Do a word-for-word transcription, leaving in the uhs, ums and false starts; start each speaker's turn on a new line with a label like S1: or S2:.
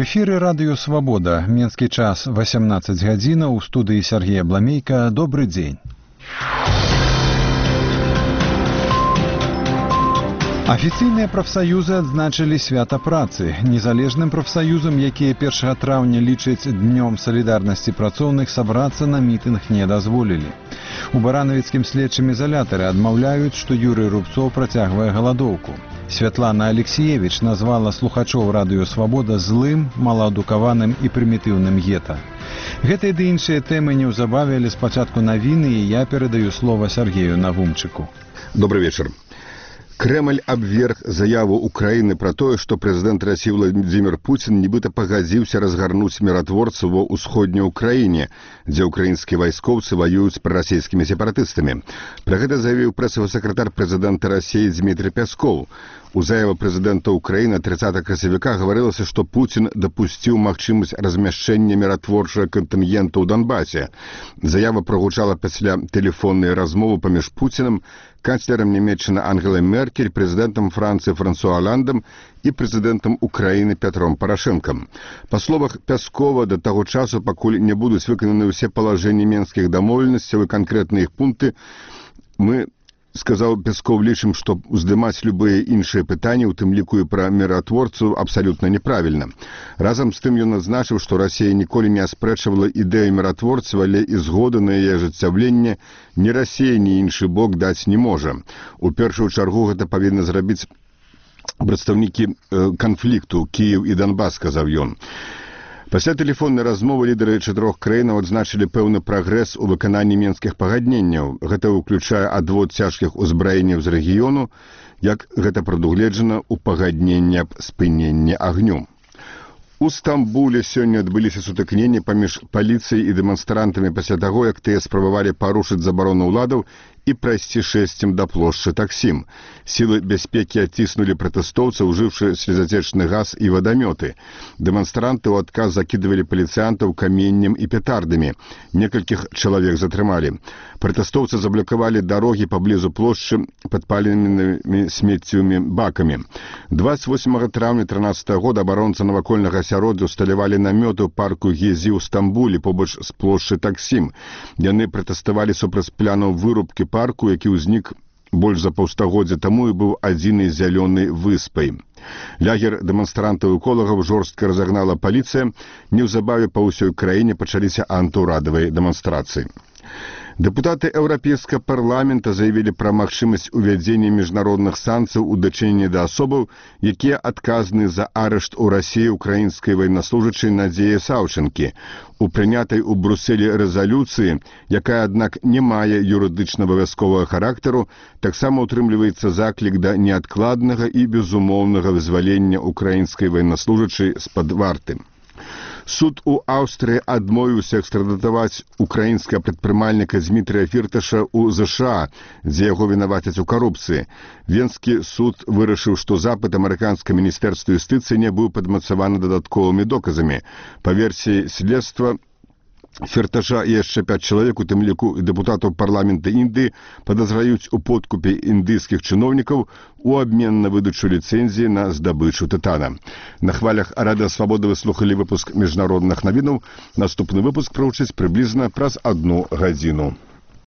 S1: эфіры радыё «Свабода». Менскі час восемнадцать гадзінаў. У студыі Сергея Бламейка. Добры дзень. Афіцыйныя прафсаюзы адзначылі свята працы. Незалежным прафсаюзам, якія першага траўня лічаць днём салідарнасці працоўных, сабрацца на мітынг не дазволілі. У баранавіцкім следчым ізалятары адмаўляюць, што Юрый Рубцоў працягвае галадоўку. Святлана Алексеевич назвала слухачоў радыё «Свабода» злым, малаадукаваным і прымітыўным гета. Гэтыя ды іншыя тэмы неўзабаве, але спачатку навіны, і я перадаю слова Сергею Навумчыку.
S2: Добрый вечер. Кремль абверг заяву Украины про тое, што прэзідэнт Расіі Владзімір Пуцін нібыта пагадзіўся разгарнуць міратворцаў ва ўсходняй Украіне, дзе ўкраінскія вайскоўцы ваююць з прарасійскімі сепаратыстамі. Пра гэта заявіў прэсавы сакратар прэзідэнта Расіі Дмітрий Пяскоў. У заяве прэзідэнта Украіны тридцатого красавіка гаварылася, што Пуцін дапусціў магчымасць размяшчэння міратворчага кантынгенту ў Донбасе. Заява прагучала пасля тэлефоннай размовы паміж Пуцінам, канцлерам Нямецчыны Ангелай Меркель, прэзідэнтам Францыі Франсуа Аландам і прэзідэнтам Украіны Пятром Парашэнкам. Па словах Пяскова, да таго часу, пакуль не будуць выкананы ўсе палажэнні менскіх дамоўленасцяў і канкрэтныя іх пункты, мы, сказаў Пясков, лічым, што уздымаць любыя іншыя пытанні, у тым ліку і пра міратворцаў, абсалютна неправільна. Разам з тым ён адзначыў, што Расія ніколі не аспрэчвала ідэю міратворцаў, але і згоды на яе ажыццяўленне ні Расія, ні іншы бок даць не можа. У першую чаргу гэта павінны зрабіць прадстаўнікі канфлікту Кіеў і Донбас, сказаў ён. Пасля тэлефоннай размовы лідары чатырох краінаў адзначылі пэўны прагрэс у выкананні менскіх пагадненняў. Гэта ўключае адвод цяжкіх узбраенняў з рэгіёну, як гэта прадугледжана ў пагадненні аб спыненні агню. У Стамбуле сёння адбыліся сутыкненні паміж паліцыяй і дэманстрантамі пасля таго, як тыя спрабавалі парушыць забарону ўладаў і прайсці шэсцем да плошчы Таксім. Сілы бяспекі адціснулі пратэстоўцаў, ужыўшы слезацечны газ і вадамёты. Дэманстранты ў адказ закідывалі паліцыянтаў каменнем і петардамі. Некалькіх чалавек затрымалі. Пратэстоўцы заблокавалі дарогі паблізу плошчы падпаленымі смеццевымі бакамі. двадцать восьмага траўня трынаццатага года абаронцы навакольнага асяроддзя усталявалі намёты ў парку Гезі ў Стамбуле побач з плошчы Таксім. Яны пратэставалі супраць планаў вырубкі парку, які ўзнік больш за паўстагоддзя таму і быў адзінай зялёнай выспай. Лягер дэманстрантаў і эколагаў жорстка разагнала паліцыя. Неўзабаве па ўсёй краіне пачаліся антыўрадавыя дэманстрацыі. Дэпутаты Еўрапейскага парламента заявілі пра магчымасць увядзення міжнародных санкцыяў у дачыненні да асобаў, якія адказны за арышт у Расіі украінскай ваеннаслужачай Надзеі Саўчэнкі. У прынятай у Брусэлі рэзалюцыі, якая, аднак, не мае юрыдычна абавязковага характару, таксама утрымліваецца заклік да неадкладнага і безумоўнага вызвалення украінскай ваеннаслужачай з-пад варты. Суд у Аўстрыі адмовіўся экстрадатаваць украінскага прадпрымальніка Змітрыя Фірташа ў ЗША, дзе яго вінавацяць у карупцыі. Венскі суд вырашыў, што запыт амерыканскага міністэрства юстыцыі не быў падмацаваны дадатковымі доказамі. Па версіі следства, Фірташа і яшчэ пяць чалавек, у тым ліку дэпутатаў парламента Індыі, падазраюць у подкупе індыйскіх чыноўнікаў у абмен на выдачу ліцэнзіі на здабычу тытана. На хвалях Радыё Свабода вы слухалі выпуск міжнародных навінаў. Наступны выпуск прагучыць прыблізна праз адну гадзіну.